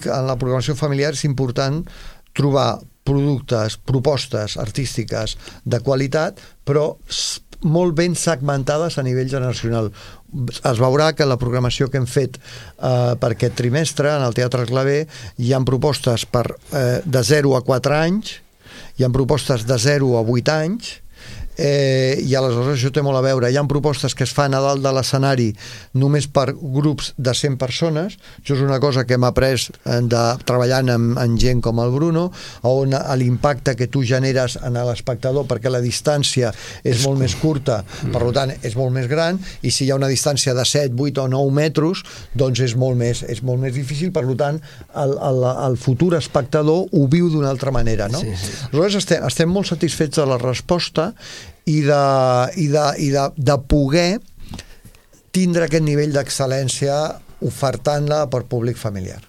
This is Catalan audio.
en la programació familiar és important trobar productes, propostes artístiques de qualitat, però molt ben segmentades a nivell generacional. Es veurà que la programació que hem fet per aquest trimestre en el Teatre Clavé hi ha propostes de 0 a 4 anys, hi ha propostes de 0 a 8 anys, i aleshores això té molt a veure. Hi ha propostes que es fan a dalt de l'escenari només per grups de 100 persones. Això és una cosa que hem après treballant amb gent com el Bruno, on l'impacte que tu generes en l'espectador, perquè la distància és molt més curta, per tant és molt més gran, i si hi ha una distància de 7, 8 o 9 metres, doncs és molt més difícil. Per tant, el futur espectador ho viu d'una altra manera, no? Aleshores estem molt satisfets de la resposta i de poder tindre aquest nivell d'excel·lència ofertant-la per públic familiar.